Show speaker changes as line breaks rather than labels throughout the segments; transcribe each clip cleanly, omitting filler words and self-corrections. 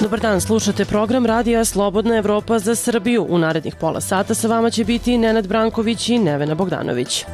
Dobar dan, slušate program Radija Slobodna Evropa za Srbiju. U narednih pola sata sa vama će biti Nenad Branković i Nevena Bogdanović.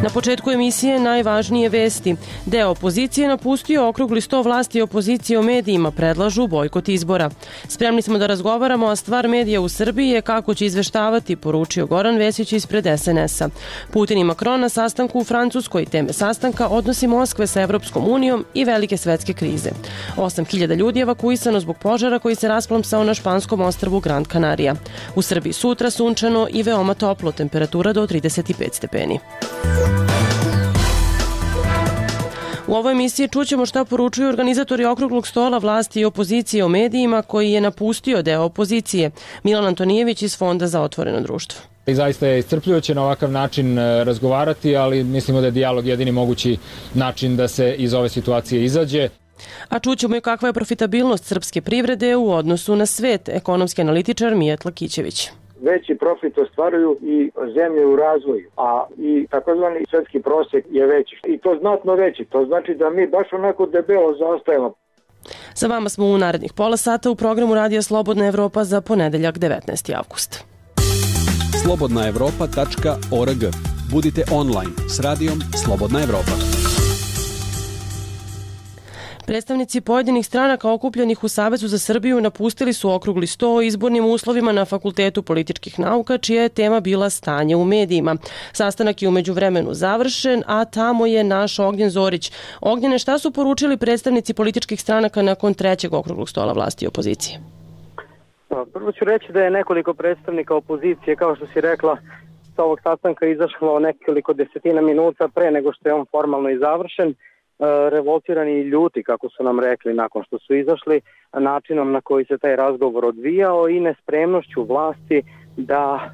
Na početku emisije najvažnije vesti. Deo opozicije napustio okrugli sto vlasti opozicije o medijima, predlažu bojkot izbora. Spremni smo da razgovaramo, a stvar medija u Srbiji je kako će izveštavati, poručio Goran Vesić ispred SNS-a. Putin i Macron na sastanku u Francuskoj, teme sastanka odnosi Moskve sa Evropskom unijom i velike svetske krize. 8.000 ljudi evakuisano zbog požara koji se rasplamsao na španskom ostrvu Gran Canaria. U Srbiji sutra sunčano i veoma toplo, temperatura do 35 stepeni. U ovoj emisiji čućemo šta poručuju organizatori okruglog stola vlasti i opozicije o medijima koji je napustio deo opozicije. Milan Antonijević iz Fonda za otvoreno društvo.
I zaista je iscrpljujuće na ovakav način razgovarati, ali mislimo da je dijalog jedini mogući način da se iz ove situacije izađe.
A čućemo i kakva je profitabilnost srpske privrede u odnosu na svet, ekonomski analitičar Mijat Lakićević.
Veći profit ostvaruju i zemlje u razvoju, a i takozvani svetski prosjek je veći. I to znatno veći. To znači da mi baš onako debelo zaostajemo.
Sa vama smo u narednih pola sata u programu Radija Slobodna Evropa za ponedeljak 19. avgust.
slobodnaevropa.org. Budite online s radijom Slobodna Evropa.
Predstavnici pojedinih stranaka okupljenih u Savezu za Srbiju napustili su okrugli sto o izbornim uslovima na Fakultetu političkih nauka, čija je tema bila stanje u medijima. Sastanak je u međuvremenu završen, a tamo je naš Ognjen Zorić. Ognjene, šta su poručili predstavnici političkih stranaka nakon trećeg okruglog stola vlasti i opozicije?
Prvo ću reći da je nekoliko predstavnika opozicije, kao što si rekla, sa ovog sastanka izašlo nekoliko desetina minuta pre nego što je on formalno i završen. Revoltirani i ljuti, kako su nam rekli nakon što su izašli, načinom na koji se taj razgovor odvijao i nespremnošću vlasti da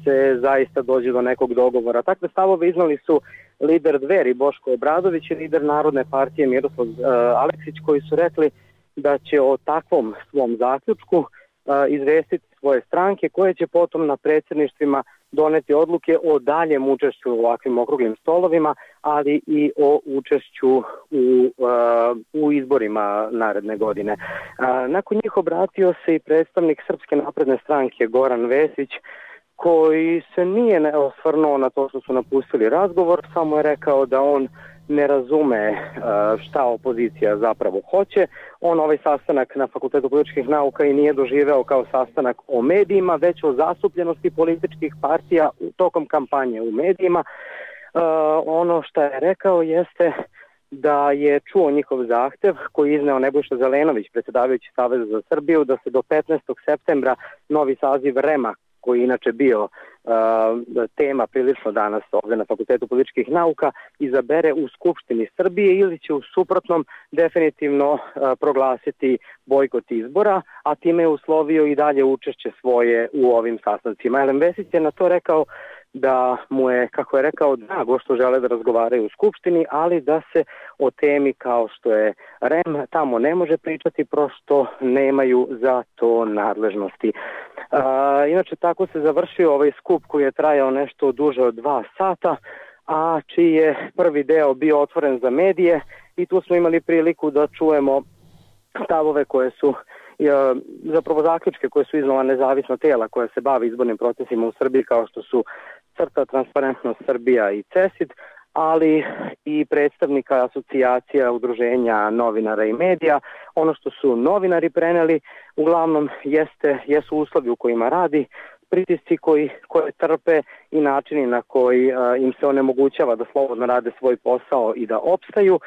se zaista dođe do nekog dogovora. Takve stavove iznali su lider Dveri Boško Obradović i lider Narodne partije Miroslav Aleksić, koji su rekli da će o takvom svom zaključku izvestiti svoje stranke, koje će potom na predsjedništvima doneti odluke o daljem učešću u ovakvim okruglim stolovima, ali i o učešću u izborima naredne godine. Nakon njih obratio se i predstavnik Srpske napredne stranke Goran Vesić, koji se nije osvrnuo na to što su napustili razgovor, samo je rekao da on ne razume šta opozicija zapravo hoće. On ovaj sastanak na Fakultetu političkih nauka i nije doživeo kao sastanak o medijima, već o zastupljenosti političkih partija tokom kampanje u medijima. Ono što je rekao jeste da je čuo njihov zahtev koji je izneo Nebojša Zelenović, predsjedavajući Saveza za Srbiju, da se do 15. septembra novi saziv REM-a, koji je inače bio tema prilično danas ovdje na Fakultetu političkih nauka, izabere u Skupštini Srbije ili će u suprotnom definitivno proglasiti bojkot izbora, a time je uslovio i dalje učešće svoje u ovim sastancima. Elem Vesić je na to rekao da mu je, kako je rekao, drago što žele da razgovaraju u Skupštini, ali da se o temi kao što je REM tamo ne može pričati, prosto nemaju za to nadležnosti. Inače, tako se završio ovaj skup koji je trajao nešto duže od 2 sata, a čiji je prvi deo bio otvoren za medije i tu smo imali priliku da čujemo stavove koje su, zapravo zaključke koje su iznala nezavisna tela koja se bavi izbornim procesima u Srbiji, kao što su CRTA, Transparentnost Srbija i CESID, ali i predstavnika asocijacija, udruženja novinara i medija. Ono što su novinari preneli uglavnom jesu uslovi u kojima radi, pritisci koje trpe i načini na koji im se onemogućava da slobodno rade svoj posao i da opstaju.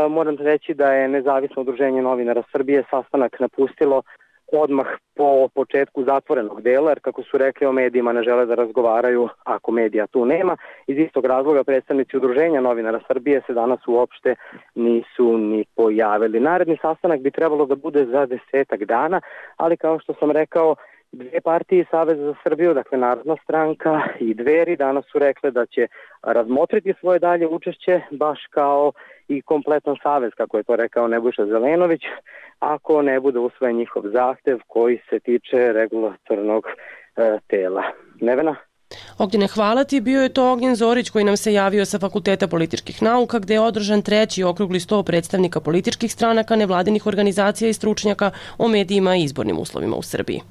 Moram reći da je Nezavisno udruženje novinara Srbije sastanak napustilo odmah po početku zatvorenog dela, jer kako su rekli o medijima ne žele da razgovaraju ako medija tu nema. Iz istog razloga predstavnici Udruženja novinara Srbije se danas uopšte nisu ni pojavili. Naredni sastanak bi trebalo da bude za 10 dana, ali kao što sam rekao, dve partije Saveza za Srbiju, dakle Narodna stranka i Dveri, danas su rekle da će razmotriti svoje dalje učešće, baš kao i kompletan savez, kako je to rekao Nebojša Zelenović, ako ne bude usvojen njihov zahtev koji se tiče regulatornog tela. Nevena?
Ognjene, hvala ti. Bio je to Ognjen Zorić koji nam se javio sa Fakulteta političkih nauka, gde je održan 3. okrugli sto predstavnika političkih stranaka, nevladinih organizacija i stručnjaka o medijima i izbornim uslovima u Srbiji.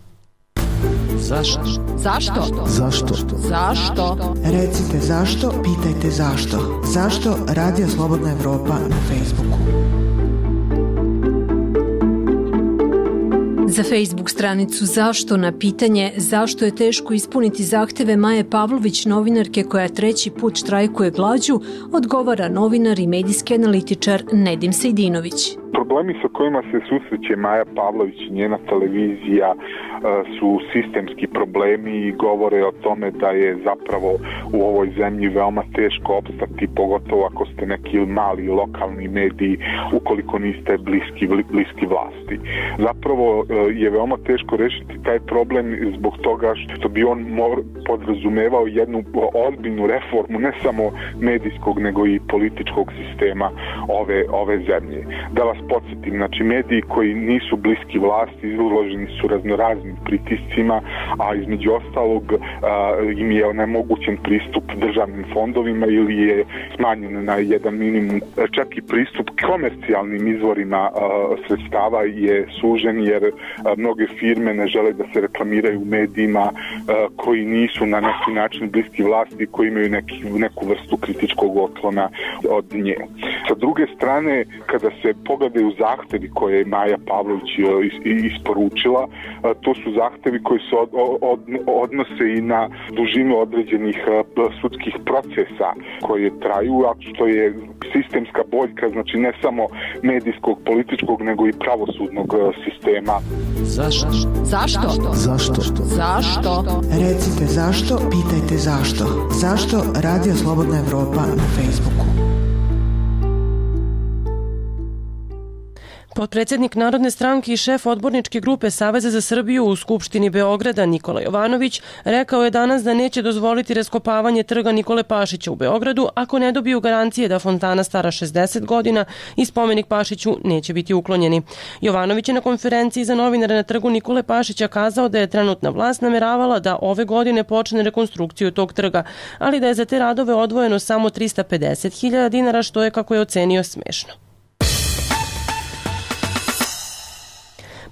Zašto?
Zašto?
Zašto?
Zašto?
Recite zašto, pitajte zašto. Zašto Radio Slobodna Evropa na Facebooku?
Za Facebook stranicu Zašto na pitanje zašto je teško ispuniti zahteve Maje Pavlović, novinarke koja 3. put štrajkuje glađu, odgovara novinar i medijski analitičar Nedim Sejdinović.
Problemi sa kojima se susreće Maja Pavlović i njena televizija su sistemski problemi i govore o tome da je zapravo u ovoj zemlji veoma teško opstati, pogotovo ako ste neki mali lokalni mediji, ukoliko niste bliski vlasti. Zapravo je veoma teško rešiti taj problem zbog toga što bi on podrazumevao jednu ozbiljnu reformu ne samo medijskog nego i političkog sistema ove zemlje. Da vas podsjetim, znači mediji koji nisu bliski vlasti izloženi su raznoraznim pritiscima, a između ostalog im je onemogućen pristup državnim fondovima ili je smanjen na jedan minimum. Čak i pristup komercijalnim izvorima sredstava je sužen jer mnoge firme ne žele da se reklamiraju u medijima koji nisu na neki način bliski vlasti, koji imaju neku vrstu kritičkog otklona od nje. Sa druge strane, kada se pogledaju zahtevi koje je Maja Pavlović isporučila, to su zahtevi koji se odnose i na dužinu određenih sudskih procesa koje traju, a što je sistemska boljka, znači ne samo medijskog, političkog, nego i pravosudnog sistema.
Zašto?
Zašto?
Zašto?
Zašto?
Recite zašto, pitajte zašto. Zašto Radio Slobodna Evropa na Facebooku?
Potpredsednik Narodne stranke i šef odborničke grupe Saveza za Srbiju u Skupštini Beograda Nikola Jovanović rekao je danas da neće dozvoliti raskopavanje trga Nikole Pašića u Beogradu ako ne dobiju garancije da fontana stara 60 godina i spomenik Pašiću neće biti uklonjeni. Jovanović je na konferenciji za novinare na trgu Nikole Pašića kazao da je trenutna vlast nameravala da ove godine počne rekonstrukciju tog trga, ali da je za te radove odvojeno samo 350.000 dinara, što je, kako je ocenio, smešno.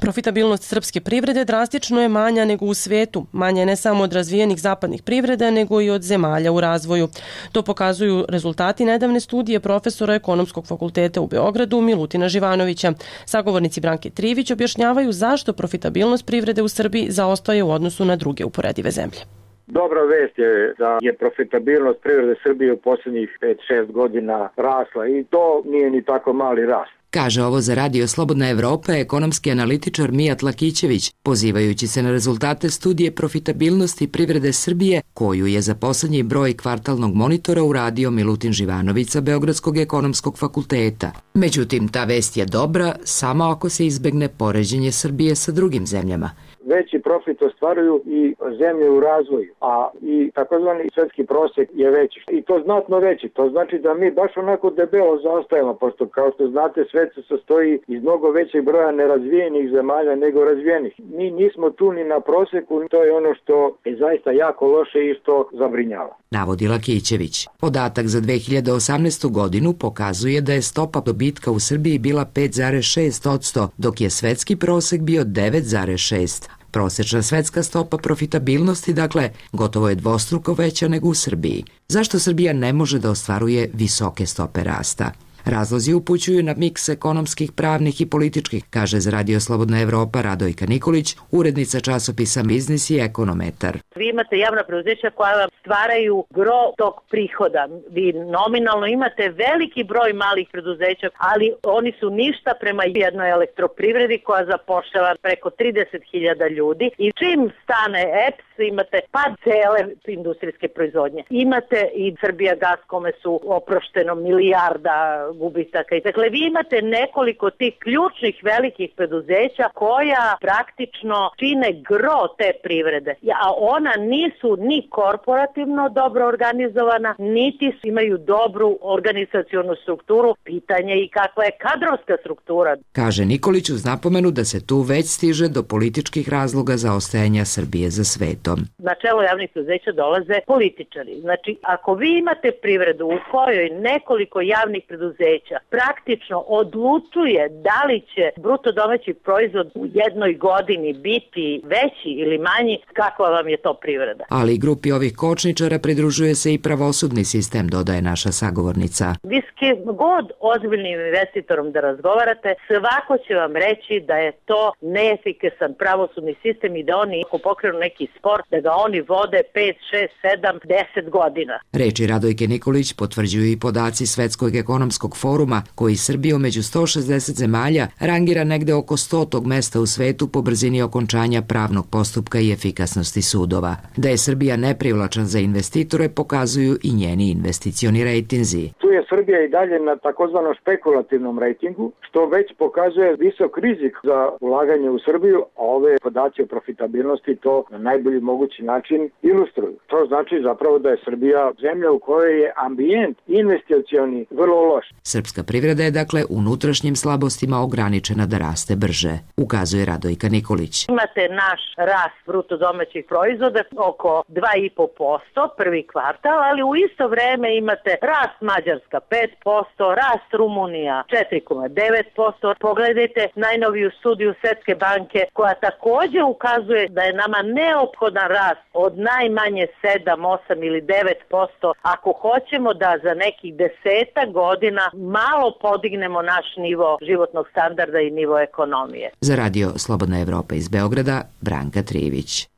Profitabilnost srpske privrede drastično je manja nego u svetu. Manja je ne samo od razvijenih zapadnih privreda, nego i od zemalja u razvoju. To pokazuju rezultati nedavne studije profesora Ekonomskog fakulteta u Beogradu Milutina Živanovića. Sagovornici Branke Trivić objašnjavaju zašto profitabilnost privrede u Srbiji zaostaje u odnosu na druge uporedive zemlje.
Dobra vest je da je profitabilnost privrede Srbije u posljednjih 5-6 godina rasla i to nije ni tako mali rast.
Kaže ovo za Radio Slobodna Evropa ekonomski analitičar Mijat Lakićević, pozivajući se na rezultate studije profitabilnosti privrede Srbije, koju je za poslednji broj kvartalnog monitora uradio Milutin Živanović sa Beogradskog ekonomskog fakulteta. Međutim, ta vest je dobra samo ako se izbegne poređenje Srbije sa drugim zemljama.
Veći profit ostvaruju i zemlje u razvoju, a i takozvani svetski prosjek je veći. I to znatno veći. To znači da mi baš onako debelo zaostajemo, pošto kao što znate svet se sastoji iz mnogo većeg broja nerazvijenih zemalja nego razvijenih. Mi nismo tu ni na prosjeku, to je ono što je zaista jako loše i što zabrinjava.
Navodi Lakićević. Podatak za 2018. godinu pokazuje da je stopa dobitka u Srbiji bila 5,6%, dok je svetski prosek bio 9,6%. Prosečna svetska stopa profitabilnosti, dakle, gotovo je dvostruko veća nego u Srbiji. Zašto Srbija ne može da ostvaruje visoke stope rasta? Razlozi upućuju na miks ekonomskih, pravnih i političkih, kaže za Radio Slobodna Evropa Radojka Nikolić, urednica časopisa Biznis i Ekonometar.
Vi imate javna preduzeća koja vam stvaraju gro tog prihoda. Vi nominalno imate veliki broj malih preduzeća, ali oni su ništa prema jednoj elektroprivredi koja zapošljava preko 30.000 ljudi. I čim stane EPS, imate pad cele industrijske proizvodnje. Imate i Srbija Gas kome su oprošteno milijarda gubitaka. Dakle, vi imate nekoliko tih ključnih velikih preduzeća koja praktično čine gro te privrede, a ona nisu ni korporativno dobro organizovana, niti imaju dobru organizacionu strukturu. Pitanje i kakva je kadrovska struktura.
Kaže Nikolić uz napomenu da se tu već stiže do političkih razloga zaostajanja Srbije za svetom.
Na čelo javnih preduzeća dolaze političari. Znači, ako vi imate privredu u kojoj nekoliko javnih preduzeća praktično odlučuje da li će bruto domaći proizvod u jednoj godini biti veći ili manji, kakva vam je to privreda?
Ali grupi ovih kočničara pridružuje se i pravosudni sistem, dodaje naša sagovornica.
Vi s kim god ozbiljnim investitorom da razgovarate, svako će vam reći da je to neefikasan pravosudni sistem i da oni, ako pokrenu neki spor, da ga oni vode 5, 6, 7, 10 godina.
Reči Radojke Nikolić potvrđuju i podaci Svetskog ekonomskog foruma, koji Srbiju među 160 zemalja rangira negde oko 100. mesta u svetu po brzini okončanja pravnog postupka i efikasnosti sudova. Da je Srbija neprivlačan za investitore pokazuju i njeni investicioni rejtinzi.
Tu je Srbija i dalje na takozvanom spekulativnom rejtingu, što već pokazuje visok rizik za ulaganje u Srbiju, a ove podaci o profitabilnosti to na najbolji mogući način ilustruju. To znači zapravo da je Srbija zemlja u kojoj je ambijent investicioni vrlo loš.
Srpska privreda je dakle unutrašnjim slabostima ograničena da raste brže, ukazuje Radojka Nikolić.
Imate naš rast bruto domaćih proizvoda oko 2,5% prvi kvartal, ali u isto vreme imate rast Mađarska 5%, rast Rumunija 4,9%. Pogledajte najnoviju studiju Svetske banke koja takođe ukazuje da je nama neophodan rast od najmanje 7, 8 ili 9% ako hoćemo da za nekih 10 godina malo podignemo naš nivo životnog standarda i nivo ekonomije.
Za Radio Slobodna Evropa iz Beograda, Branka Trivić.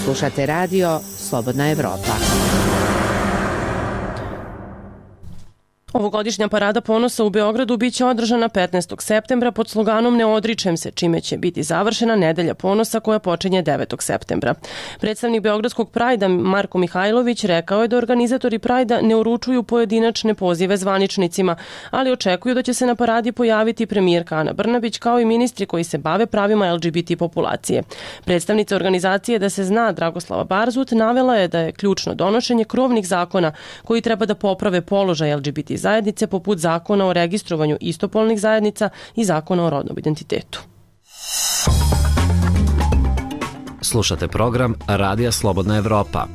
Slušate Radio Slobodna Evropa.
Ovogodišnja parada ponosa u Beogradu biće održana 15. septembra pod sloganom Ne odričem se, čime će biti završena Nedelja ponosa koja počinje 9. septembra. Predstavnik Beogradskog Prajda Marko Mihajlović rekao je da organizatori Prajda ne uručuju pojedinačne pozive zvaničnicima, ali očekuju da će se na paradi pojaviti premijerka Ana Brnabić kao i ministri koji se bave pravima LGBT populacije. Predstavnica organizacije Da se zna Dragoslava Barzut navela je da je ključno donošenje krovnih zakona koji treba da poprave položaj LGBT zajednice poput zakona o registrovanju istopolnih zajednica i zakona o rodnom identitetu.
Slušate program Radija Slobodna Evropa.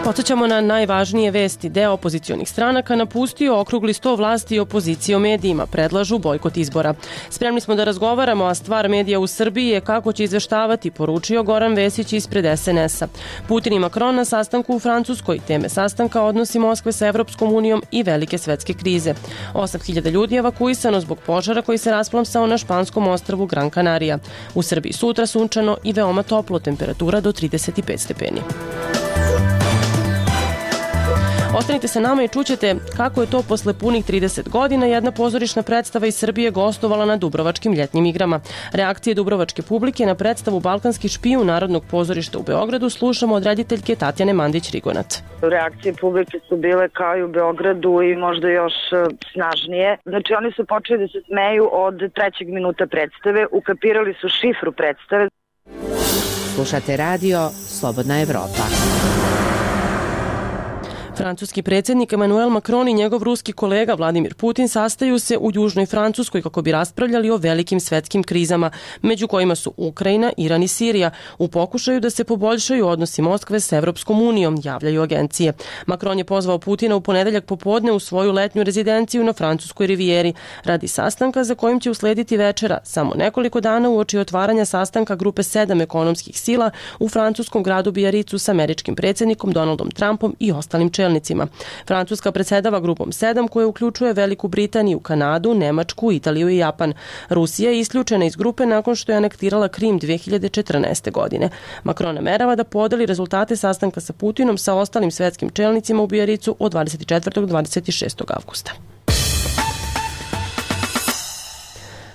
Podsećamo na najvažnije vesti. Deo opozicionih stranaka napustio okrugli sto vlasti i opozicije o medijima. Predlažu bojkot izbora. Spremni smo da razgovaramo, a stvar medija u Srbiji je kako će izveštavati, poručio Goran Vesić ispred SNS-a. Putin i Macron na sastanku u Francuskoj. Teme sastanka odnosi Moskve sa Evropskom unijom i velike svetske krize. 8.000 ljudi je evakuisano zbog požara koji se rasplamsao na španskom ostrvu Gran Canaria. U Srbiji sutra sunčano i veoma toplo, temperatura do 35 stepeni. Ostanite sa nama i čućete kako je to posle punih 30 godina jedna pozorišna predstava iz Srbije gostovala na Dubrovačkim ljetnim igrama. Reakcije dubrovačke publike na predstavu Balkanski špijun Narodnog pozorišta u Beogradu slušamo od rediteljke Tatjane Mandić-Rigonat.
Reakcije publike su bile kao i u Beogradu i možda još snažnije. Znači oni su počeli da se smeju od 3. minuta predstave, ukapirali su šifru predstave.
Slušate Radio Slobodna Evropa.
Francuski predsjednik Emmanuel Macron i njegov ruski kolega Vladimir Putin sastaju se u Južnoj Francuskoj kako bi raspravljali o velikim svetskim krizama, među kojima su Ukrajina, Iran i Sirija, u pokušaju da se poboljšaju odnosi Moskve s Evropskom unijom, javljaju agencije. Macron je pozvao Putina u ponedeljak popodne u svoju letnju rezidenciju na francuskoj rivijeri radi sastanka za kojim će uslediti večera, samo nekoliko dana uoči otvaranja sastanka grupe 7 ekonomskih sila u francuskom gradu Bijaricu s američkim predsjednikom Donaldom Trumpom i ostalim čelnicima. Francuska predsedava grupom 7 koja uključuje Veliku Britaniju, Kanadu, Nemačku, Italiju i Japan. Rusija je isključena iz grupe nakon što je anektirala Krim 2014. godine. Macron namerava da podeli rezultate sastanka sa Putinom sa ostalim svetskim čelnicima u Bijaricu od 24. do 26. avgusta.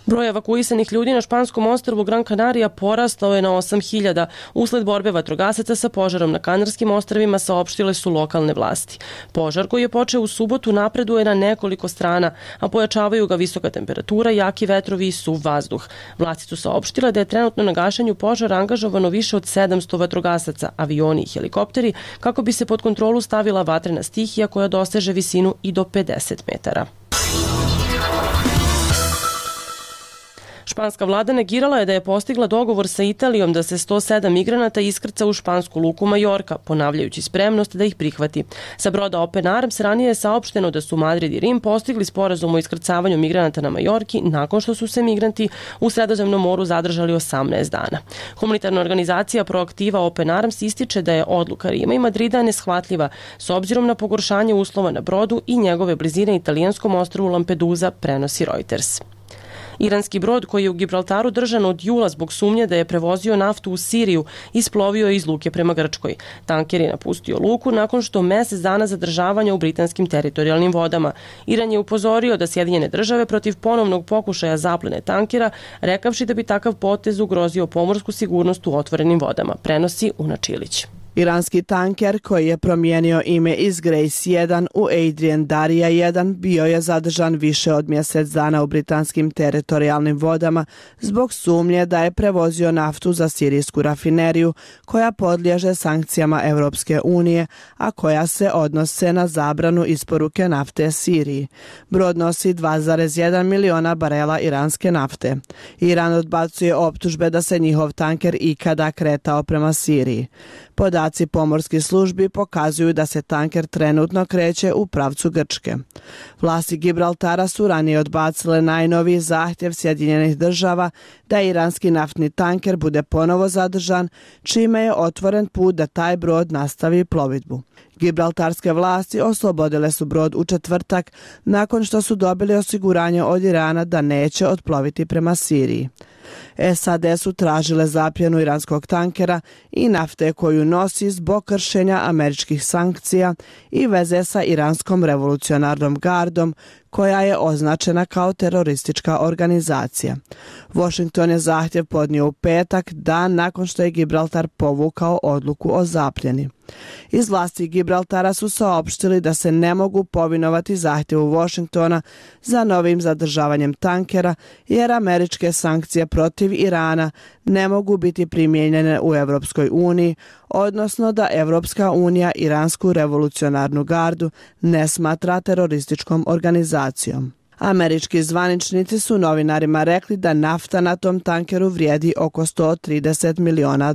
Broj evakuisanih ljudi na španskom ostrvu Gran Canaria porastao je na 8.000. Usled borbe vatrogasaca sa požarom na Kanarskim ostrvima saopštile su lokalne vlasti. Požar koji je počeo u subotu napreduje na nekoliko strana, a pojačavaju ga visoka temperatura, jaki vetrovi i suv vazduh. Vlasti su saopštile da je trenutno na gašenju požara angažovano više od 700 vatrogasaca, avioni i helikopteri, kako bi se pod kontrolu stavila vatrena stihija koja doseže visinu i do 50 metara. Španska vlada negirala je da je postigla dogovor sa Italijom da se 107 migranata iskrca u špansku luku Majorka, ponavljajući spremnost da ih prihvati. Sa broda Open Arms ranije je saopšteno da su Madrid i Rim postigli sporazum o iskrcavanju migranata na Majorki nakon što su se migranti u Sredozemnom moru zadržali 18 dana. Humanitarna organizacija Proaktiva Open Arms ističe da je odluka Rima i Madrida neshvatljiva s obzirom na pogoršanje uslova na brodu i njegove blizine italijanskom ostrvu Lampedusa, prenosi Reuters. Iranski brod koji je u Gibraltaru držan od jula zbog sumnje da je prevozio naftu u Siriju isplovio je iz luke prema Grčkoj. Tanker je napustio luku nakon što mesec dana zadržavanja u britanskim teritorijalnim vodama. Iran je upozorio da Sjedinjene države protiv ponovnog pokušaja zaplene tankera, rekavši da bi takav potez ugrozio pomorsku sigurnost u otvorenim vodama, prenosi Una Čilić.
Iranski tanker koji je promijenio ime iz Grace 1 u Adrian Darija 1 bio je zadržan više od mjesec dana u britanskim teritorijalnim vodama zbog sumnje da je prevozio naftu za sirijsku rafineriju koja podliježe sankcijama Europske unije, a koja se odnose na zabranu isporuke nafte Siriji. Brod nosi 2,1 miliona barela iranske nafte. Iran odbacuje optužbe da se njihov tanker ikada kretao prema Siriji. Podaci pomorskih službi pokazuju da se tanker trenutno kreće u pravcu Grčke. Vlasti Gibraltara su ranije odbacile najnoviji zahtjev Sjedinjenih država da iranski naftni tanker bude ponovo zadržan, čime je otvoren put da taj brod nastavi plovidbu. Gibraltarske vlasti oslobodile su brod u četvrtak nakon što su dobili osiguranje od Irana da neće otploviti prema Siriji. SAD su tražile zapljenu iranskog tankera i nafte koju nosi zbog kršenja američkih sankcija i veze sa iranskom revolucionarnom gardom koja je označena kao teroristička organizacija. Washington je zahtjev podnio u petak, dan nakon što je Gibraltar povukao odluku o zapljeni. Iz vlasti Gibraltara su saopštili da se ne mogu povinovati zahtjevu Washingtona za novim zadržavanjem tankera, jer američke sankcije protiv Irana ne mogu biti primijenjene u Europskoj uniji, odnosno da Europska unija iransku revolucionarnu gardu ne smatra terorističkom organizacijom. Američki zvaničnici su novinarima rekli da nafta na tom tankeru vrijedi oko $130 miliona.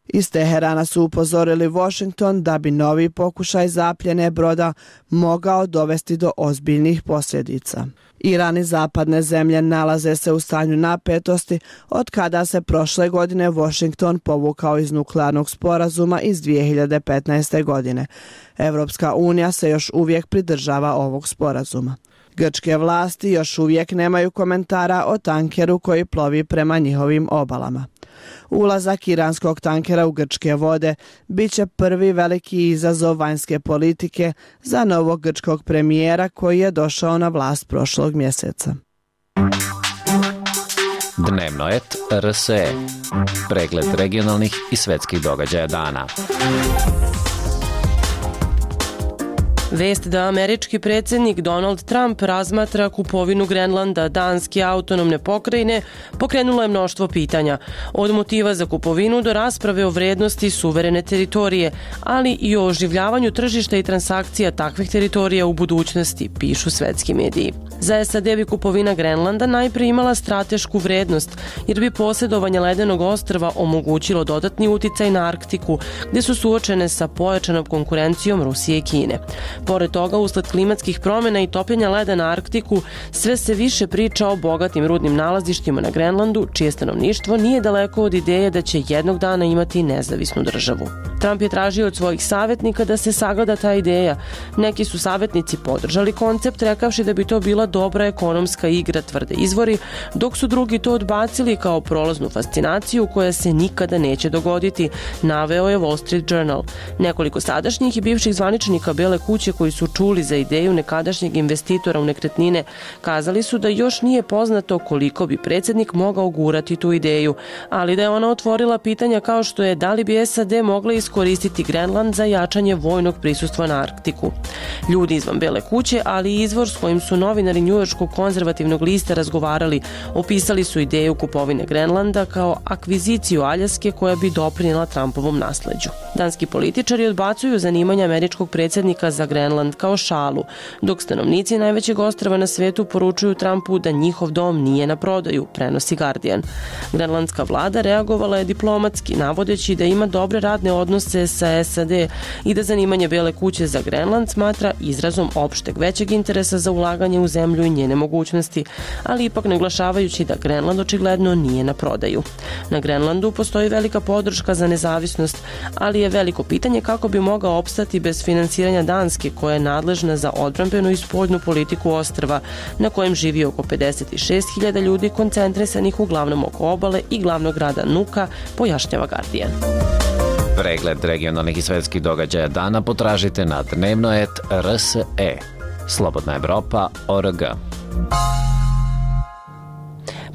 Iz Teherana su upozorili Washington da bi novi pokušaj zapljene broda mogao dovesti do ozbiljnih posljedica. Iran i zapadne zemlje nalaze se u stanju napetosti od kada se prošle godine Washington povukao iz nuklearnog sporazuma iz 2015. godine. Europska unija se još uvijek pridržava ovog sporazuma. Grčke vlasti još uvijek nemaju komentara o tankeru koji plovi prema njihovim obalama. Ulazak iranskog tankera u grčke vode bit će prvi veliki izazov vanjske politike za novog grčkog premijera koji je došao na vlast prošlog mjeseca.
Dnevnoet RSE. Pregled regionalnih i svetskih događaja dana.
Vest da američki predsjednik Donald Trump razmatra kupovinu Grenlanda, danske autonomne pokrajine, pokrenulo je mnoštvo pitanja. Od motiva za kupovinu do rasprave o vrednosti suverene teritorije, ali i o oživljavanju tržišta i transakcija takvih teritorija u budućnosti, pišu svetski mediji. Za SAD bi kupovina Grenlanda najprije imala stratešku vrednost, jer bi posjedovanje ledenog ostrva omogućilo dodatni uticaj na Arktiku, gdje su suočene sa pojačanom konkurencijom Rusije i Kine. Pored toga, usled klimatskih promjena i topljenja leda na Arktiku, sve se više priča o bogatim rudnim nalazištima na Grenlandu, čije stanovništvo nije daleko od ideje da će jednog dana imati nezavisnu državu. Trump je tražio od svojih savjetnika da se sagleda ta ideja. Neki su savjetnici podržali koncept, rekavši da bi to bila dobra ekonomska igra, tvrde izvori, dok su drugi to odbacili kao prolaznu fascinaciju koja se nikada neće dogoditi, naveo je Wall Street Journal. Nekoliko sadašnjih i bivših zvaničnika Bele kuće preduzeće koji su čuli za ideju nekadašnjeg investitora u nekretnine kazali su da još nije poznato koliko bi predsjednik mogao gurati tu ideju, ali da je ona otvorila pitanja kao što je da li bi SAD mogla iskoristiti Grenland za jačanje vojnog prisustva na Arktiku. Ljudi izvan Bele kuće, ali i izvor s kojim su novinari njujorškog konzervativnog lista razgovarali, opisali su ideju kupovine Grenlanda kao akviziciju Aljaske koja bi doprinjela Trumpovom nasleđu. Danski političari odbacuju zanimanje američkog predsjednika za Grenland kao šalu, dok stanovnici najvećeg ostrva na svetu poručuju Trumpu da njihov dom nije na prodaju, prenosi Guardian. Grenlandska vlada reagovala je diplomatski, navodeći da ima dobre radne odnose sa SAD i da zanimanje Bele kuće za Grenland smatra izrazom opšteg većeg interesa za ulaganje u zemlju i njene mogućnosti, ali ipak naglašavajući da Grenland očigledno nije na prodaju. Na Grenlandu postoji velika podrška za nezavisnost, ali je veliko pitanje kako bi mogao opstati bez finansiranja Danske, koja je nadležna za odbrambenu i spoljnu politiku ostrva, na kojem živi oko 56.000 ljudi koncentrisanih uglavnom oko obale i glavnog grada Nuka, pojašnjava Guardian.
Pregled regionalnih i svetskih događaja dana potražite na dnevno.rs.e. Slobodna Evropa.org.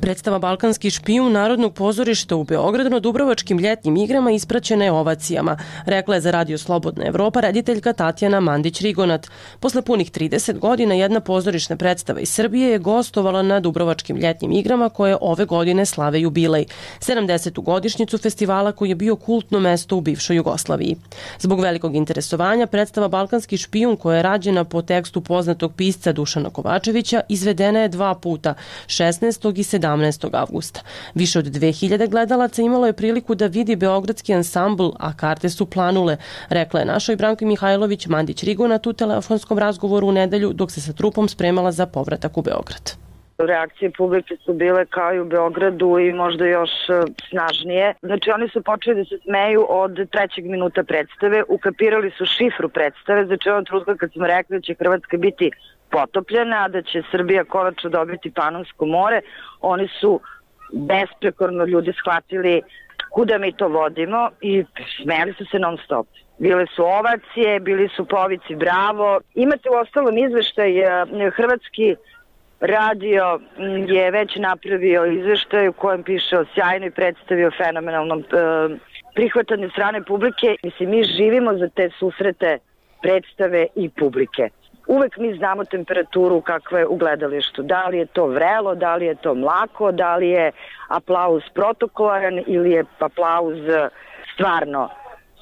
Predstava Balkanski špijun Narodnog pozorišta u Beogradu na Dubrovačkim ljetnim igrama ispraćena je ovacijama, rekla je za Radio Slobodna Evropa rediteljka Tatjana Mandić-Rigonat. Posle punih 30 godina jedna pozorišna predstava iz Srbije je gostovala na Dubrovačkim ljetnim igrama koje ove godine slave jubilej, 70. godišnjicu festivala koji je bio kultno mesto u bivšoj Jugoslaviji. Zbog velikog interesovanja predstava Balkanski špijun, koja je rađena po tekstu poznatog pisca Dušana Kovačevića, izvedena je 2 puta, 16. i 17. avgusta. Više od 2000 gledalaca imalo je priliku da vidi beogradski ansambl, a karte su planule, rekla je našoj Branki Mihajlović Mandić-Rigonat u telefonskom razgovoru u nedelju dok se sa trupom spremala za povratak u Beograd.
Reakcije publike su bile kao i u Beogradu i možda još snažnije. Znači oni su počeli da se smeju od 3. minuta predstave, ukapirali su šifru predstave, znači ovom trenutka kad smo rekli da će Hrvatska biti potopljena, da će Srbija konačno dobiti Panonsko more, oni su besprekorno ljudi shvatili kuda mi to vodimo i smeli su se non stop. Bile su ovacije, bili su povici bravo. Imate u ostalom izveštaj Hrvatski radio je već napravio izveštaj u kojem piše o sjajnoj predstavi, o fenomenalnom prihvatanju strane publike. Mislim, mi živimo za te susrete predstave i publike. Uvek mi znamo temperaturu kakva je u gledalištu. Da li je to vrelo, da li je to mlako, da li je aplauz protokolaran ili je aplauz stvarno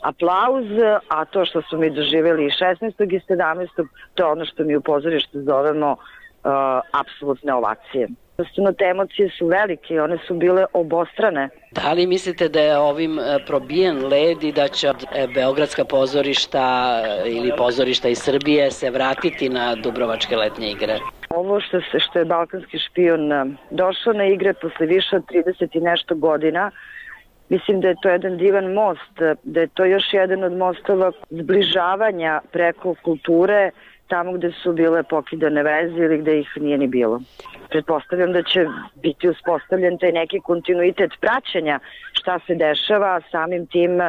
aplauz, a to što smo mi doživjeli 16. i 17. to je ono što mi u pozorištu zovemo apsolutne ovacije. Jednostavno, te emocije su velike, one su bile obostrane.
Da li mislite da je ovim probijen led i da će beogradska pozorišta ili pozorišta iz Srbije se vratiti na Dubrovačke letnje igre?
Ovo što je Balkanski špijun došao na igre posle više od 30 i nešto godina, mislim da je to jedan divan most, da je to još jedan od mostova zbližavanja preko kulture tamo gde su bile pokidane veze ili gde ih nije ni bilo. Pretpostavljam da će biti uspostavljen taj neki kontinuitet praćenja šta se dešava, samim tim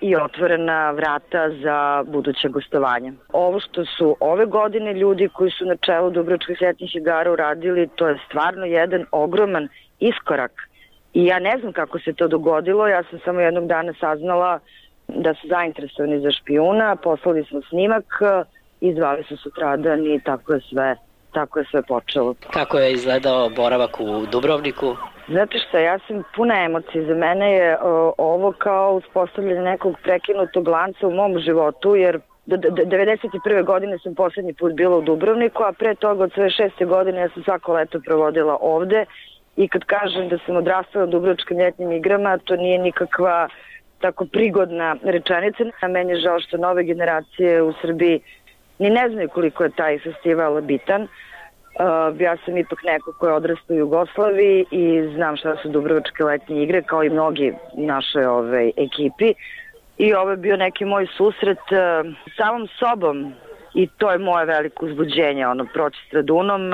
i otvorena vrata za buduće gostovanje. Ovo što su ove godine ljudi koji su na čelu Dubrovačkih ljetnih igara uradili, to je stvarno jedan ogroman iskorak. I ja ne znam kako se to dogodilo, ja sam samo jednog dana saznala da su zainteresovani za špijuna, poslali smo snimak i zvali su sutradan i tako je sve počelo.
Kako je izgledao boravak u Dubrovniku?
Znate šta, ja sam puna emocija. Za mene je ovo kao uspostavljanje nekog prekinutog lanca u mom životu, jer 91. godine sam poslednji put bila u Dubrovniku, a pre toga od svoje 6. godine ja sam svako leto provodila ovde i kad kažem da sam odrastala u Dubrovačkim ljetnim igrama, to nije nikakva tako prigodna rečenica. A meni je žao što nove generacije u Srbiji ni ne znaju koliko je taj festival bitan. Ja sam ipak neko ko je odrastao u Jugoslaviji i znam šta su Dubrovačke letnje igre, kao i mnogi našoj ekipi. I ovo je bio neki moj susret samom sobom i to je moje veliko uzbuđenje, proći Stradunom,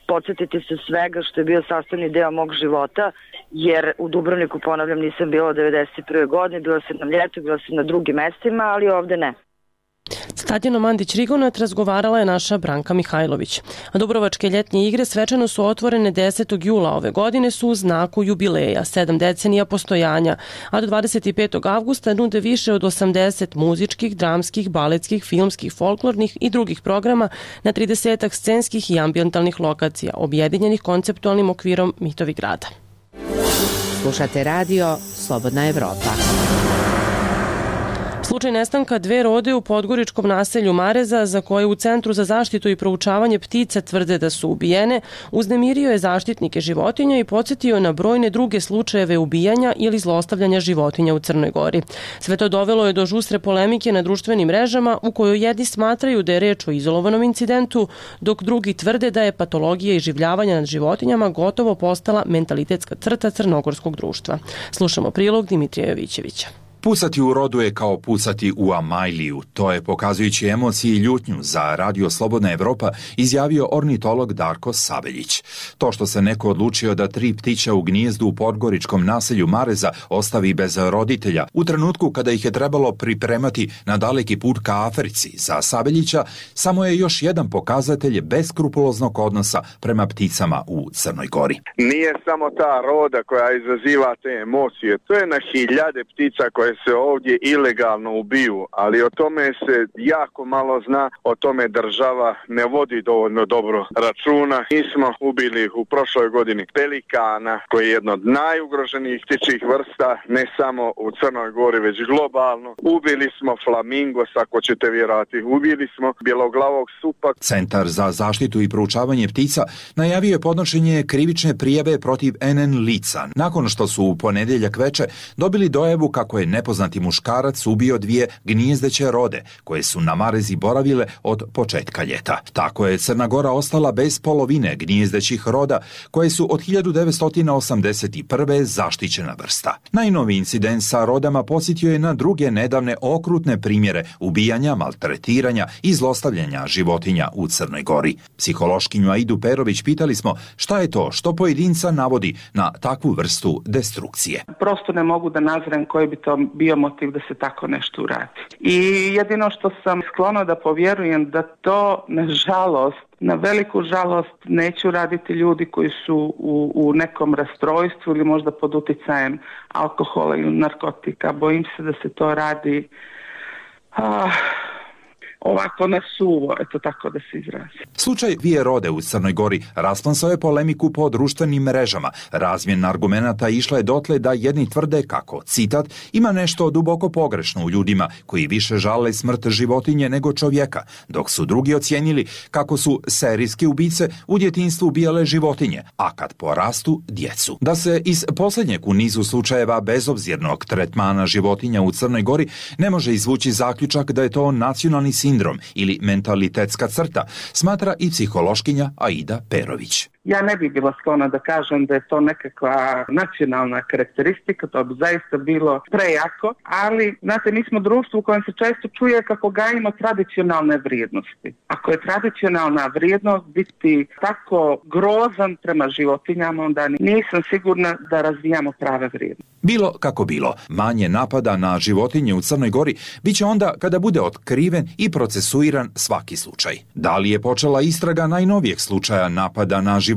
podsjetiti se svega što je bio sastavni deo mog života, jer u Dubrovniku, ponavljam, nisam bila od 91. godine, bila sam na ljetu, bila sam na drugim mestima, ali ovde ne.
Tatjana Mandić-Rigonat razgovarala je naša Branka Mihajlović. A Dubrovačke ljetnje igre svečano su otvorene 10. jula ove godine su u znaku jubileja, 7 decenija postojanja, a do 25. avgusta nude više od 80 muzičkih, dramskih, baletskih, filmskih, folklornih i drugih programa na 30 scenskih i ambijentalnih lokacija, objedinjenih konceptualnim okvirom Mitovi grada.
Slušate radio Slobodna Evropa.
Slučaj nestanka 2 rode u podgoričkom naselju Mareza, za koje u Centru za zaštitu i proučavanje ptica tvrde da su ubijene, uznemirio je zaštitnike životinja i podsjetio na brojne druge slučajeve ubijanja ili zlostavljanja životinja u Crnoj Gori. Sve to dovelo je do žustre polemike na društvenim mrežama, u kojoj jedni smatraju da je reč o izolovanom incidentu, dok drugi tvrde da je patologija iživljavanja nad životinjama gotovo postala mentalitetska crta crnogorskog društva. Slušamo prilog Dimitrija Jovićevića.
Pucati u rodu je kao pucati u Amajliju. To je, pokazujući emocije i ljutnju za Radio Slobodna Evropa, izjavio ornitolog Darko Sabeljić. To što se neko odlučio da 3 ptića u gnijezdu u podgoričkom naselju Mareza ostavi bez roditelja, u trenutku kada ih je trebalo pripremati na daleki put ka Africi, za Sabeljića samo je još jedan pokazatelj beskrupuloznog odnosa prema pticama u Crnoj Gori.
Nije samo ta roda koja izaziva te emocije, to je na hiljade ptica koje se ovdje ilegalno ubiju, ali o tome se jako malo zna, o tome država ne vodi dovoljno dobro računa. Mi smo ubili u prošloj godini pelikana, koji je jedno od najugroženijih ptičjih vrsta, ne samo u Crnoj Gori, već globalno. Ubili smo flamingos, ako ćete vjerovati, ubili smo bjeloglavog supa.
Centar za zaštitu i proučavanje ptica najavio je podnošenje krivične prijave protiv NN lica, nakon što su u ponedjeljak veče dobili dojavu kako je nepoznati muškarac ubio 2 gnijezdeće rode koje su na Marezi boravile od početka ljeta. Tako je Crna Gora ostala bez polovine gnijezdećih roda koje su od 1981. zaštićena vrsta. Najnoviji incident sa rodama podsjetio je na druge nedavne okrutne primjere ubijanja, maltretiranja i zlostavljanja životinja u Crnoj Gori. Psihološkinju Aidu Perović pitali smo šta je to što pojedinca navodi na takvu vrstu destrukcije.
Prosto ne mogu da nazrem koji bi to bio motiv da se tako nešto uradi. I jedino što sam sklona da povjerujem da to, nažalost, na veliku žalost, neću raditi ljudi koji su u nekom rastrojstvu ili možda pod uticajem alkohola ili narkotika. Bojim se da se to radi ovako na suvo, eto tako da se izrazi.
Slučaj 2 rode u Crnoj Gori rasplamsao je polemiku po društvenim mrežama. Razmjena argumenata išla je dotle da jedni tvrde kako, citat, ima nešto duboko pogrešno u ljudima koji više žale smrt životinje nego čovjeka, dok su drugi ocijenili kako su serijske ubice u djetinjstvu ubijale životinje, a kad porastu djecu. Da se iz posljednjeg u nizu slučajeva bezobzirnog tretmana životinja u Crnoj Gori ne može izvući zaključak da je to nacionalni sindrom ili mentalitetska crta, smatra i psihološkinja Aida Perović.
Ja ne bih bila sklona da kažem da je to nekakva nacionalna karakteristika, to bi zaista bilo prejako, ali, znate, mi smo društvo u kojem se često čuje kako gajimo tradicionalne vrijednosti. Ako je tradicionalna vrijednost biti tako grozan prema životinjama, onda nisam sigurna da razvijamo prave vrijednosti.
Bilo kako bilo, manje napada na životinje u Crnoj Gori biće onda kada bude otkriven i procesuiran svaki slučaj. Da li je počela istraga najnovijeg slučaja napada na životinje?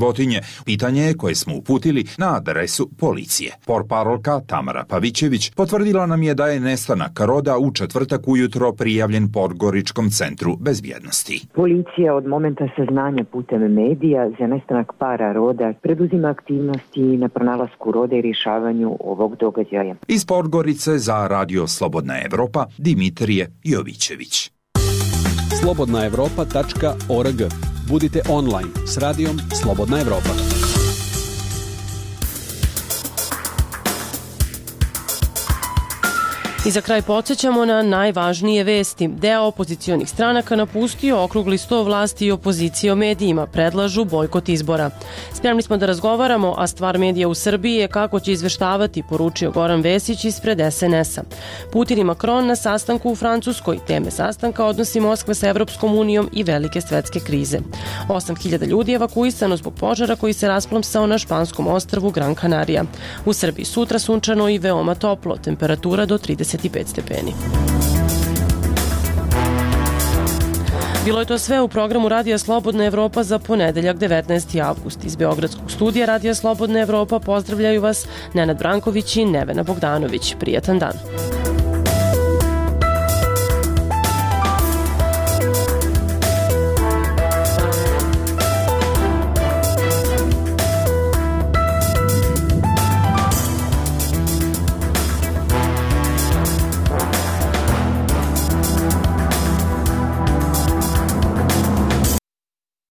Pitanje je koje smo uputili na adresu policije. Portparolka Tamara Pavićević potvrdila nam je da je nestanak roda u četvrtak ujutro prijavljen Podgoričkom centru bezbjednosti.
Policija od momenta saznanja putem medija za nestanak para roda preduzima aktivnosti na pronalasku roda i rješavanju ovog događaja.
Iz Podgorice za Radio Slobodna Evropa, Dimitrije Jovićević.
slobodnaevropa.org. Budite online s radijom Slobodna Evropa.
I za kraj podsjećamo na najvažnije vesti. Deo opozicionih stranaka napustio okrugli sto vlasti i opozicije o medijima, predlažu bojkot izbora. Spremni smo da razgovaramo, a stvar medija u Srbiji je kako će izveštavati, poručio Goran Vesić ispred SNS-a. Putin i Macron na sastanku u Francuskoj. Teme sastanka odnosi Moskve sa Evropskom unijom i velike svetske krize. 8.000 ljudi je evakuisano zbog požara koji se rasplamsao na španskom ostrvu Gran Canaria. U Srbiji sutra sunčano i veoma toplo, temperatura do 35 stepeni. Bilo je to sve u programu Radija Slobodna Evropa za ponedeljak 19. avgust. Iz Beogradskog studija Radija Slobodna Evropa pozdravljaju vas Nenad Branković i Nevena Bogdanović. Prijatan dan.